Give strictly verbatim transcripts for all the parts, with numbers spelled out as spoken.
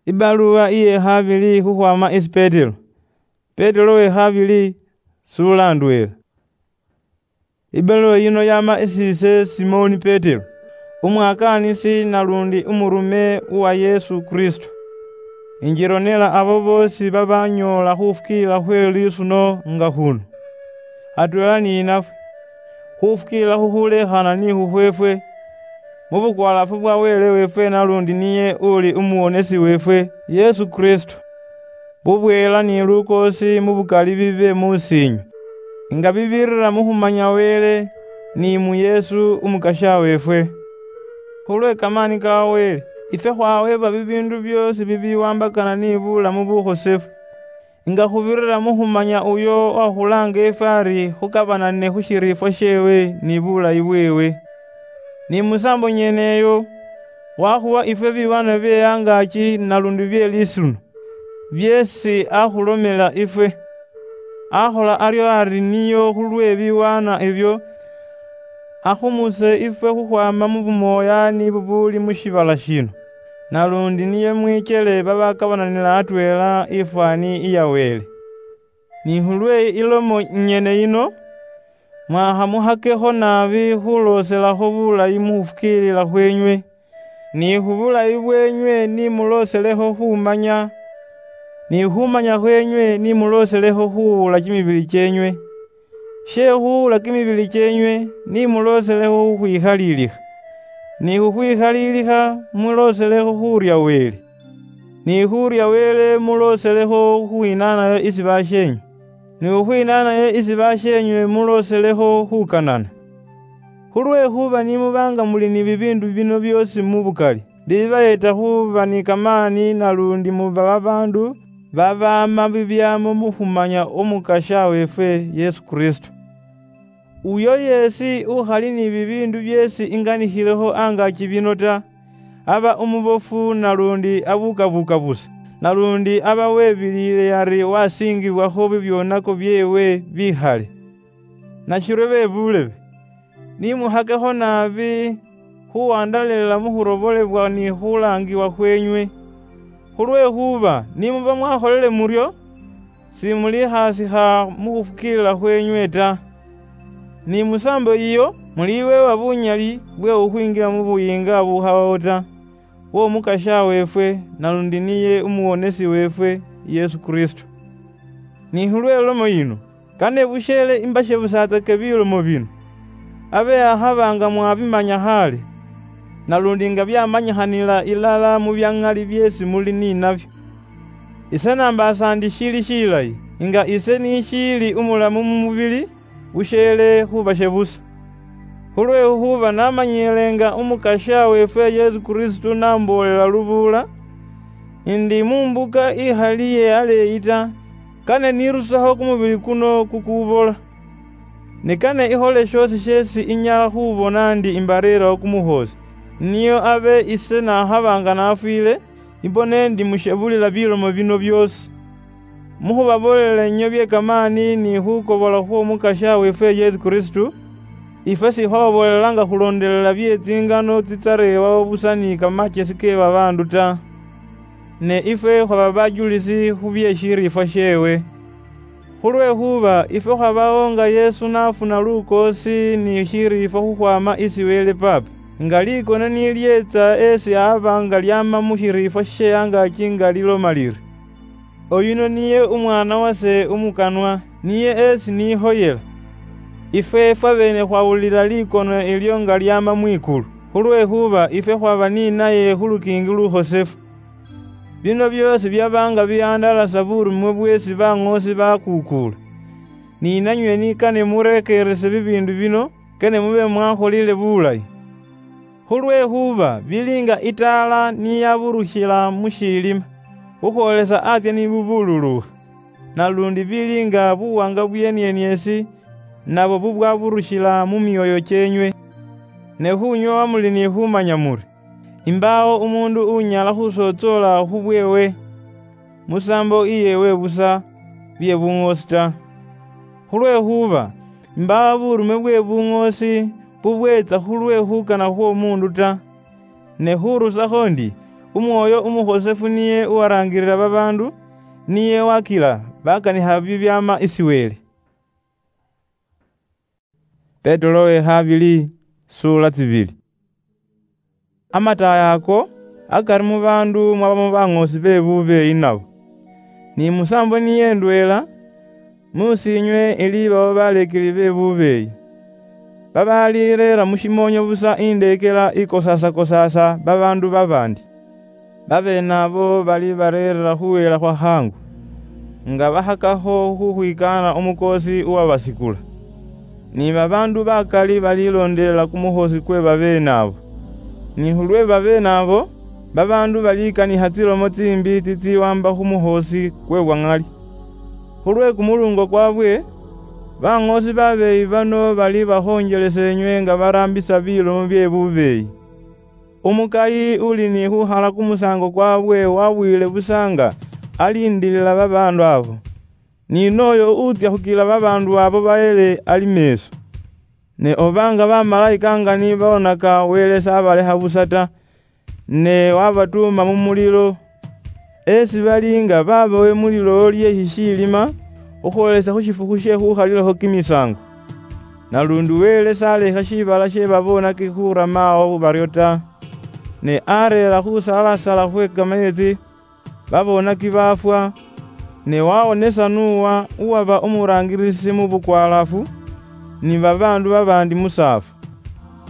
Ibaluwa iye khabili khukhwama isi Petero. Petero we khabili, sula ndwela. Ibaluwa yino yama isi ise Simoni Petero, umwakaanisi nalundi umurume uwa Yesu Kristo. Injironela abo boosi babanyoola khufukiilila khwe lisuno nga khuno, atweela ni inafwe, khufukiilila khukhulekhana ni khukhweefwe, mu bukwalaafu bwa Wele weefwe nalundi niye uli Umuwonesi weefwe, Yesu Kristo. Bubweela ni lukoosi mu bukali bibe mu siinywe, nga bibirira mu khumanya Wele, ni mu Yesu Umukasya weefwe. Khulwe kamaani ka Wele, ifwe khwaweebwa bibiindu byoosi bibiwambakana ni bulamu bukhosefu, nga khubirira mu khumanya uyo wakhulaanga ifwe ari khukabanane khu shiriifwa sheewe ni bulayi bweewe. Ni musaambo nyene eyo, wakhuwa ifwe biwaanwa bye angaaki nalundi bye lisuno, byeesi akhulomela ifwe. Akhola aryo ari niyo khulwe biwaanwa ebyo, akhumuse ifwe khukhwaama mu bumooya ni bubuuli mu shiibala shino, nalundi niye mwikyele babakabananila atweela ifwaani iya Wele. Ni khulwe ilomo nyene yino, mwakhamuhakekho naabi khulooselakho bulayi mu khufukiilila khweenywe, ni khu bulayi bweenywe ni mulooselekho khumanya, ni khumanya khweenywe ni mulooselekho khuwuula kimibili kyeenywe. She khuwuula kimibili kyeenywe ni mulooselekho khukhwikhaliilikha, ni khukhwikhaliilikha mulooselekho khuurya Wele, ni khuurya Wele mulooselekho khukhwinaanayo isi basheenywe, ni khukhwinaanayo isi basheenywe mulooselekho khukanana. Khulwekhuba ni muba nga muli ni bibiindu bino byoosi mu bukali, bibibayeta khuba ni kamaani nalundi muba babaandu babaama bibyaamo mu khumanya Umukasya weefwe Yesu Kristo. Uyo yeesi ukhali ni bibiindu byeesi inganikhileho angaaki bino ta, aba umubofu nalundi abukabuka busa, nalundi aba webiliile yari wasiingibwakho bibyonako byeewe bikhale. Nashiryo be buulebe, ni muhakekho naabi khuwandalelela mu khurobolebwa ni khulaangiwa khweenywe. Khulwekhuba ni muba mwakholele muryo, simulikhaasikha mu khufukiilila khweenywe ta. Ni musaambo yiyo muliweebwa bunyali bwe khukhwingila mu Buyiinga bukhabawo ta, bw'Omukasya weefwe, nalundi niye Umuwonesi weefwe, Yesu Kristo. Ni khulwe lomo yino, kane busheele imbashebusatsake bilomo bino, abe akhaba nga mwabimanya khale, nalundi nga byamanyikhanila ilala mu bya ŋali byeesi muli ni nabyo. Ise nambaasa ndi shiili shilayi, nga ise nishiili umulamu mu mubili, busheele khubashebusa. Khulwekhuba namanyiile nga Umukasya weefwe Yesu Kristo namboolela lubuula, ndi mu mbuka ikhali ye aleeyi ta, kane nirusekho kumubili kuno kukubola. Ne kane ikhole shoosi sheesi inyala khubona ndi imbareerawo kumukhoosi, nio abe ise nakhaba nga nafwiile, imbone ndi mushebulila bilomo bino byoosi. Mukhubaboolela inywe bye kamaani ni khukobola khw'Omukasya weefwe Yesu Kristo, ifwe sikhwababoolela nga khuloondelela bye tsingano tsitsareebawo busa ni kamachesi ke babaandu ta, ne ifwe khwaba bajulisi khu bye shiriifwa sheewe. Khulwekhuba ifwe khwabawo nga Yesu nafuna lukoosi ni shiriifwa khukhwama isi Wele Paapa, nga likone nilyeetsa esi aba nga lyama mu shiriifwa she angaaki nga liloma liri, "Oyuno niye Umwaana wase umukanwa, niye esi nihoyela." Ifwe fwabeene khwawulila likone ilyo nga lyama mwikulu, khulwekhuba ifwe khwaba ni naye khu lukiingi lukhosefu. Bino byoosi byaba nga bihandalasa burumwe bweesi baŋoosi bakuukuula. Ni nanywe ni kane murekeerese bibiindu bino, kane mube mwakholile bulayi. Khulwekhuba bili nga itaala niyaburukhila mu shilima, khukhwolesa atsye ni bubululukha, nalundi bili nga buwanga bwenieniesi, nabo bubwaburukhila mu myoyo kyenywe. Ne khunyoowa muli ni khumanya muri, imbaawo umuundu unyala khusotsoola khu bweewe, musaambo iyeewe busa, bye buŋoosi ta. Khulwekhuba, imbaawo burume bwe buŋoosi bubweetsa khulwe khukana khw'omuundu ta, ne khurusakho ndi, Umwoyo umukhosefu niye uwarangirira babaandu, niye wakila bakanikha bibyama isi Wele. Petero we khabili, sura tsibili. Amataaya ako, akari mu baandu mwabamo baŋoosi be bubeeyi nabo. Ni musaambo niye ndweela, muusi inywe ili babo baleekeli be bubeeyi, babalireera mu shimoonyo busa indeekela ikosaasa-kosaasa babaandu babaandi. Babeene abo bali bareerera khuweela khwa khaangu, nga bakhakakho khukhwikaana umukoosi uwabasikula. Ni babaandu bakali balilondelela kumukhoosi kwe babeene abo. Ni khulwe babeene abo, babaandu balikanikha tsilomo tsimbi tsitsiwamba khu mukhoosi kwe bwa ŋali. Khulwe kumulungo kwabwe, baŋoosi babeeyi bano bali bakhonjelesa inywe nga baraambisa bilomo bye bubeeyi. Umukayi uli ni khukhala kumusaango kwabwe wabwile busa nga aliindilila babaandu abo. Ni nooyo utsya khukila babaandu abo baheele ali meeso. Ne oba nga bamalaika nga ni bawonaka, Wele s'abalekha busa ta, ne wabatuuma mu mulilo, esi bali nga babowe mu lilowo lye shishiilima, khukhwolesa khu shifukhu she khukhalilakho kimisaango. Nalundi Wele s'alekha shiibala she babonaki khurama awo baryo ta, ne areera khusalasala khwe kameetsi, babonaki baafwa, ne wawonesa Nuwa uwaba umuraangirisi mu bukwalaafu, ni babaandu babaandi musaafu.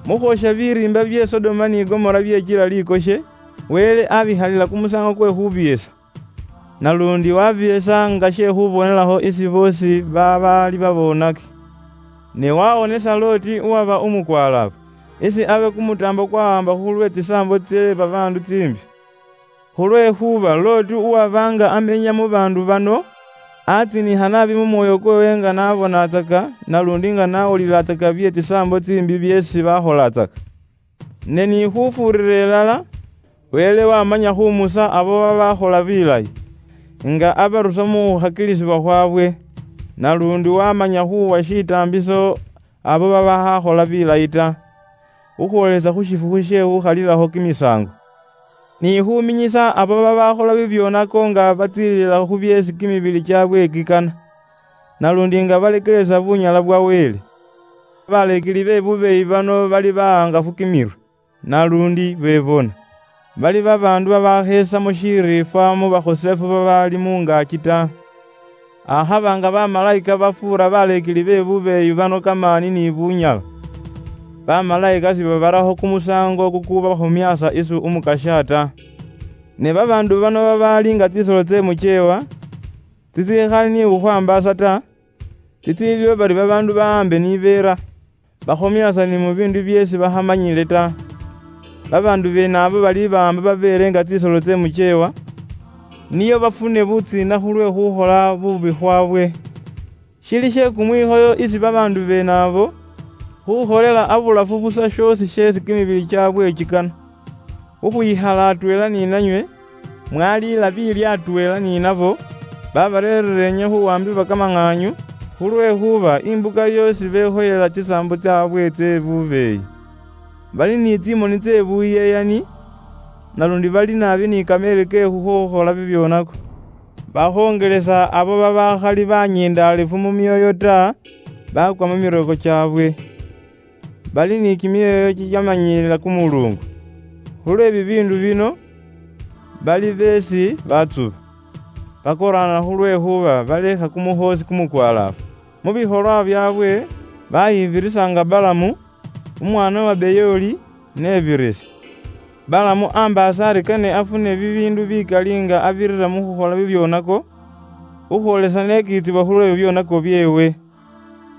Mu khwosha biriimba bye Sodoma ni Gomora byechila likoshe, Wele abikhalila kumusaango kwe khubiesa. Nalundi wabiesa nga she khubonelakho isi boosi babaali babonaki. Ne wawonesa Loti uwaba umukwalaafu, isi abe kumutaambo kwawamba khulwe tsisaambo tsye babaandu tsimbi. Khulwekhuba Loti uwabanga amenya mu baandu bano, atsinikha naabi mu mwoyo kwewe nga nabonatsaka, nalundi nga nawulilatsaka bye tsisaambo tsimbi byeesi bakholatsaka. Ne ni khufuurira ilala, Wele wamanya khumusa abo babakhola bilayi, nga abarusa mu khukhakilisibwa khwabwe, nalundi wamanya khuwa shitaambiso abo babakhakhola bilayi ta, khukhwolesa khu shifukhu she khukhalilakho kimisaango. Ni khuminyisa abo babakhola bibyonako nga batsiilila khu byeesi kimibili kyabwe kikana, nalundi nga balekelesa bunyala bwa Wele. Baleekeli be bubeeyi bano bali bahangafu kimirwe, nalundi bebona. Bali babaandu babakheesamo shiriifwa mu bakhosefu babaali mu ngaaki ta. Akhaba nga bamalaika bafuura baleekeli be bubeeyi bano kamaani ni bunyala, bamalaika sibabarakho kumusaango kukubakhomyaasa isu Umukasya ta. Ne babaandu bano babaali nga tsisolo tse mucheewa, tsitsikhali ni khukhwambaasa ta, tsitsiliwo bari babaandu bahambe ni beera, bakhomyaasa ni mu biindu byeesi bakhamanyile ta. Babaandu beene abo bali baamba babeele nga tsisolo tse mucheewa, nio bafune butsiina khulwe khukhola bubi khwabwe. Shili she kumwikhoyo isi babaandu beene abo khukholela abulafu busa shoosi sheesi kimibili kyaabwe kikana. Khukhwikhala atweela ni nanywe, mwaliila biilya atweela ni nabo, babareerere inywe khuwambibwa kamang'aanyu, khulwekhuba imbuka yoosi bekhoyela tsisaambo tsyaabwe tsye bubeeyi. Bali ni tsimoni tsye buyeyani, nalundi bali naabi ni kameeri ke khukhokhola bibyonako. Bakhongelesa abo babakhali banyendaalifu mu myoyo ta, bakwa mu miroko kyaabwe. Bali ni kimyoyo kikyamanyiilila kumuluungu. Khulwe bibiindu bino, bali beesi batsuba. Bakoraana khulwekhuba balekha kumukhoosi kumukwalaafu. Mu bikholwa byaabwe, bayibirisanga Balamu, umwaana wa Beyooli, nebirisi. Balamu ambaasa ari kane afune bibiindu bikali nga abirira mu khukhola bibyonako, khukhwolesa nekiitsibwa khulwe bibyonako byeewe.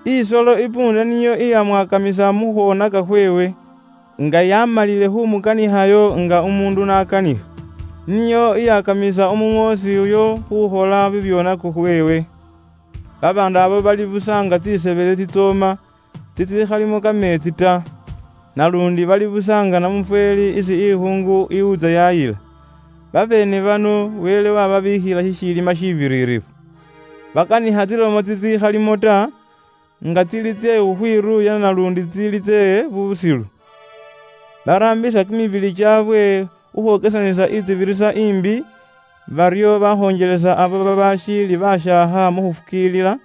Isolo ipuunda niyo iyamwakamisa mu khwonaka khweewe, nga yamalile khumukanikhayo nga umuundu n'akanikha. Niyo iyakamisa umuŋoosi uyo khukhola bibyonako khweewe. Babaandu abo bali busa nga tsisebele tsitsooma, tsitsikhalimo kameetsi ta, nalundi bali busa nga namufweeli isi ikhuungu iwutsa yayila. Babeene bano Wele wababiikhila shishiilima shibiriirifu. Bakanikha tsilomo tsitsikhalimo ta, nga tsili tsye khukhwiruuya nalundi tsili tsye busilu. Baraambisa kimibili kyaabwe khukhwokesanisa itsibirisa imbi, bario bakhonjelesa abo babashiili bashaaha mukhufukiilila,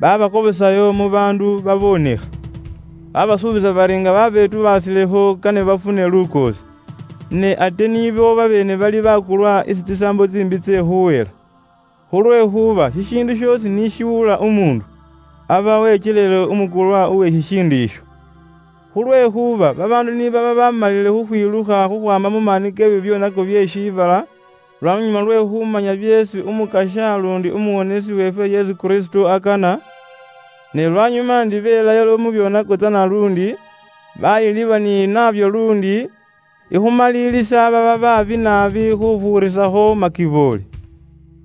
babakobosayo mubandu babonekha. Babasuubisa bari nga babetubasilekho kane bafune lukoosi. Ne ate nibo babene bali bakulwa isi tsisaambo tsimbi tse khuwela. Khulwekhuba shishiindu shiosi nishiwula umundu, aba wechelele umukulwa uwe shishiindu isho. Khulwekhuba babaandu nibaba bamalile khukhwilukha khukhwama mu maani kebyo byonako bye shiibala, lwanyuma lwe khumanya byeesi Umukasha lundi Umuwonesi weefwe Yesu Kristo akana, ne lwanyuma ndi belayala mu byonako tsana lundi, bayiliba ni nabyo lundi, ikhumaliilisa baba baabi naabi khufuurisakho makiboole.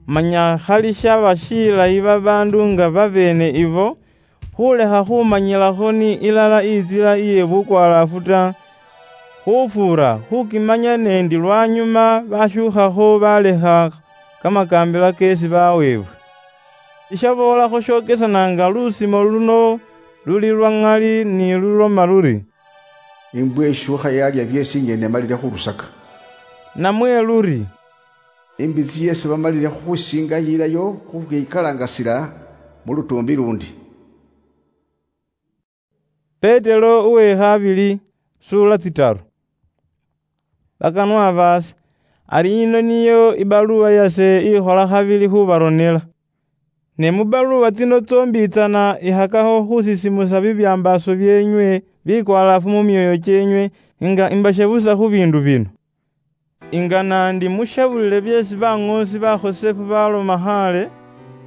Manya khali shaba shilayi babaandu nga babeene ibo khulekha khumanyilakho ni ilala intsila iye bukwalaafu ta, khufuura khukimanya nendi lwanyuma bashuukhakho balekha kamakaambila keesi baweebwe. Ishaboolakho shokesana nga lusimo luno luli lwa ŋali ni luloma luri, "Imbwa ishuukha yalya byeesi inye nemalile khurusaka." Namwe luri, "Imbitsi yeesi bamalile khukhwisinga yilayo khukhwikalangasila mu lutuumbi lundi." Petero uwe khabili, sura tsitaru. Bakanwa baase, ari yino niyo ibaluwa yase ikhola khabili khubaronela. Ne mu baluwa tsino tsombitsana ikhakakho khusisimusa bibyambaaso byeenywe bikwalaafu mu myoyo kyenywe, nga imbashe busa khu biindu bino. Inga nandi mushabulile byeesi baŋoosi bakhosefu baloma khale,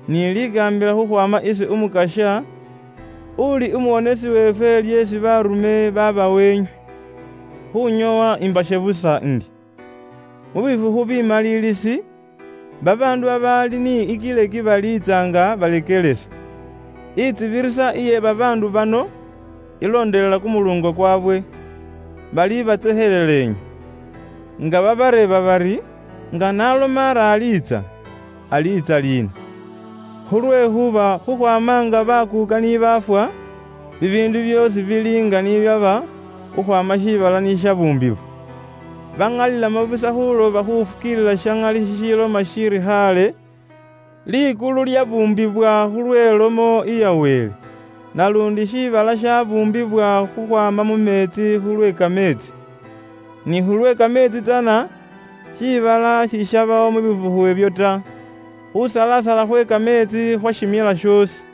ni likaambila khukhwama isi Umukasha, uli Umuwonesi weefwe lyeesi barume baba wenywe. Khunyowa imbashe busa ndi, mu bifukhu bimaliilisi, babaandu babaali ni ikileki baliitsanga balekelesa. Itsibirisa iye babaandu bano ilondelela kumulungo kwabwe, bali batseheleleenywe. Nga babareeba bari, "Nga naloma ari aliitsa, aliitsa liina?" Khulwekhuba khukhwama nga bakuuka ni baafwa, bibiindu byoosi bili nga nibyaba khukhwama shiibala nishabuumbibwa. Bang'alilamo busa khuloba khufukiilila sha ŋali shishiloma shiri khale, Likulu lyabuumbibwa khulwelomo iya Wele, nalundi shiibala shabuumbibwa khukhwama mu meetsi khulwe kameetsi. Ni khulwe kameetsi tsana, shiibala shishabaho mu bifukhu ebyo ta, khusalasala khwe kameetsi khwashimila shoosi.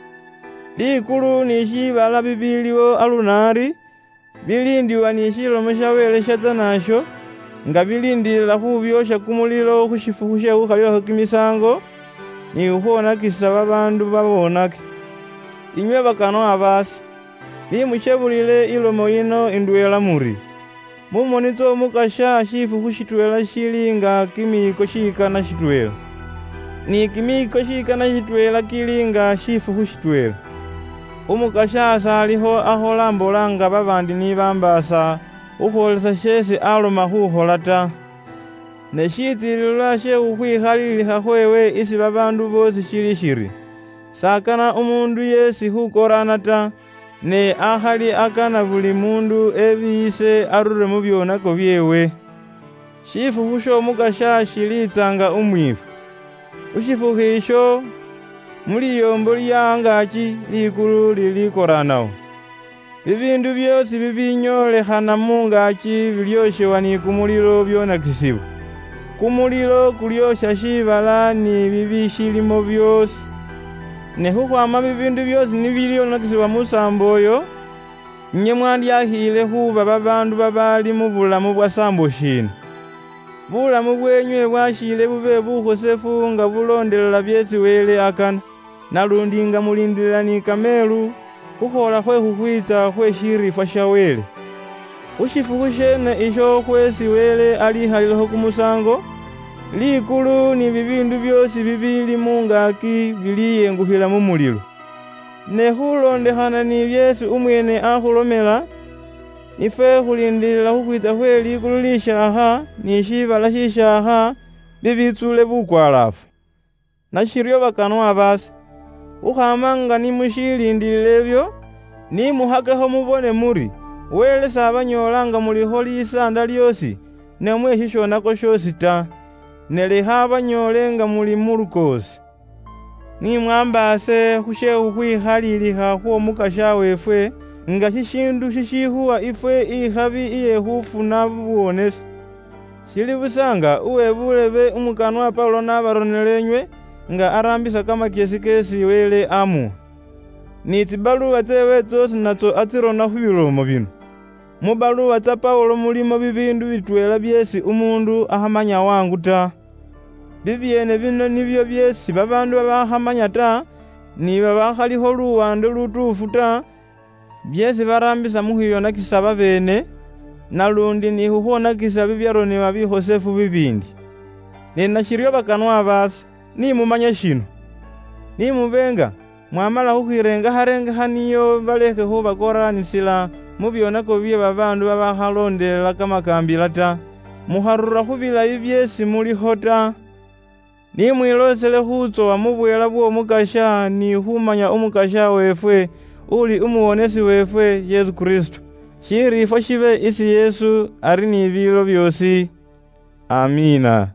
Likulu ni shiibala bibiliwo alunari, bilindiwa ni shilomo sha Wele shatsa nasho, nga bilindilila khubyosha kumulilo khu shifukhu she khukhalilakho kimisango, ni khukhwonakisa babaandu babonake. Inywe bakanwa baase, nimushebulile ilomo yino indweela muri, mu moni ts'Omukasha shifukhu shitweela shili nga kimiiko shikana shitweela. Ni kimiiko shikana shitweela kili nga shifukhu shitweela. Umukasha s'alikho akhola mbola nga babaandi ni bambaasa khukhwolesa sheesi aloma khukhola ta. Ne shitsiililwa she khukhwikhalilikha khweewe isi babaandu boosi shili shiri, s'akana umuundu yeesi khukoraana ta, ne akhali akana buli muundu ebiyise arure mu byonako byeewe. Shifukhu sh'Omukasha shiliitsanga umwiifwa. Khu shifukhu isho, mu liyoombo lya angaaki likulu lilikoraanawo. Bibiindu byoosi bibinyolekhana mu ngaaki bilyooshewa ni kumulilo byonakisibwa. Kumulilo kulyoosha shiibala ni bibishilimo byoosi. Ne khukhwaama bibiindu byoosi nibilyonakisibwa musaambo oyo, inywe mwandyakhiile khuuba babaandu babaali mu bulamu bwa saambo shiina? Bulamu bweenywe bwashiile bube bukhosefu nga buloondelela byeesi Wele akana, nalundi nga muliindilila ni kameelu khukhwola khwe khukhwiitsa khwe shiriifwa sha Wele. Khu shifukhu sheene isho khweesi Wele alikhalilekho kumusaango, likulu ni bibiindu byoosi bibiili mu ngaaki biliyengukhila mu mulilo. Ne khuloondekhana ni byeesi umweene akhulomela, ifwe khuliindilila khukhwiitsa khwe likulu lishaakha ni shiibala shishaakha bibitsuule bukwalaafu. Nashiryo bakanwa baase, khukhama nga nimushiliindilila ebyo, nimuhakekho mubone muri, Wele s'abanyoola nga mulikho lisaanda lyoosi, namwe shishonako shiosi ta, ne lekha banyoole nga muli mu lukoosi. Ni mwambaase khu she khukhwikhalilikha khw'Omukasya weefwe, nga shishiindu shishikhuwa ifwe ikhabi iye khufuna buwonesi. Shili busa nga uwe bulebe umukanwa Paulo n'abaronele inywe, nga araambisa kamakyesi keesi Wele amuwa. Ni tsibaluwa tseewe tsoosi natso atsirona khu bilomo bino. Mu baluwa tsa Paulo mulimo bibiindu bitweela byeesi umuundu akhamanya wangu ta. Bibyeene bino nibyo byeesi babaandu babakhamanya ta, ni babakhalikho luwande lutuufu ta, byeesi baraambisa mu khwiyonakisa babeene, nalundi ni khukhwonakisa bibyaronebwa bikhosefu bibiindi. Ne nashiryo bakanwa baase, ni mumanye shino. Ni mube nga mwamala khukhwirengekharengekha niyo balekhe khubakoraanisila mu byonako bye babaandu babakhaloondelela kamakaambila ta, mukharura khu bilayi byeesi mulikho ta. Ni mwiloosele khutsowa mu bweela bw'Omukasya ni khumanya Omukasya weefwe, uli Umuwonesi weefwe, Yesu Kristo. Shiriifwa shibe isi Yesu ari ni biilo byoosi. Amiina.